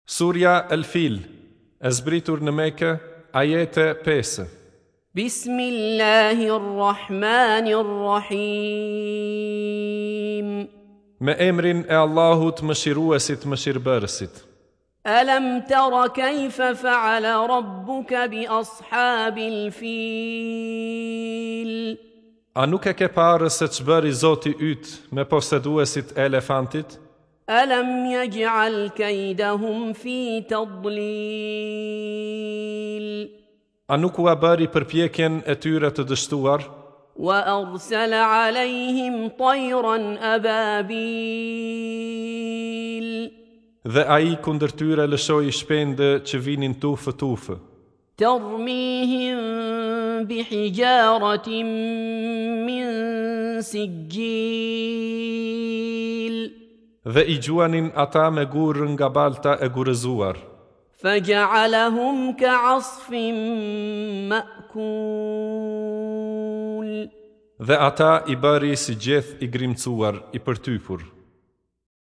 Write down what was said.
Surja El Fil, e zbritur në Mekë, ajete 5. Bismillahi Rrahmani Rrahim. Me emrin e Allahut Mëshiruesit Mëshirëbërësit. Alam tara kayfa fa'ala rabbuka bi ashabil fil. A nuk e ke parë se ç'bëri Zoti yt me poseduesit e elefantit? Alam yaj'al kaydahum fi tadlil. A nuk ua bëri përpjekjen e tyre të dështuar? Wa arsala alayhim tayran ababil. Dhe ai kundër tyre lëshoi shpendë që vinin tufë tufë. Termihim bi hijaratin min sijil. Dhe i gjuanin ata me gurë nga balta e gurëzuar. Faja'alahum ka'asfin ma'kul. Dhe ata i bëri si gjeth i grimcuar, i përtypur.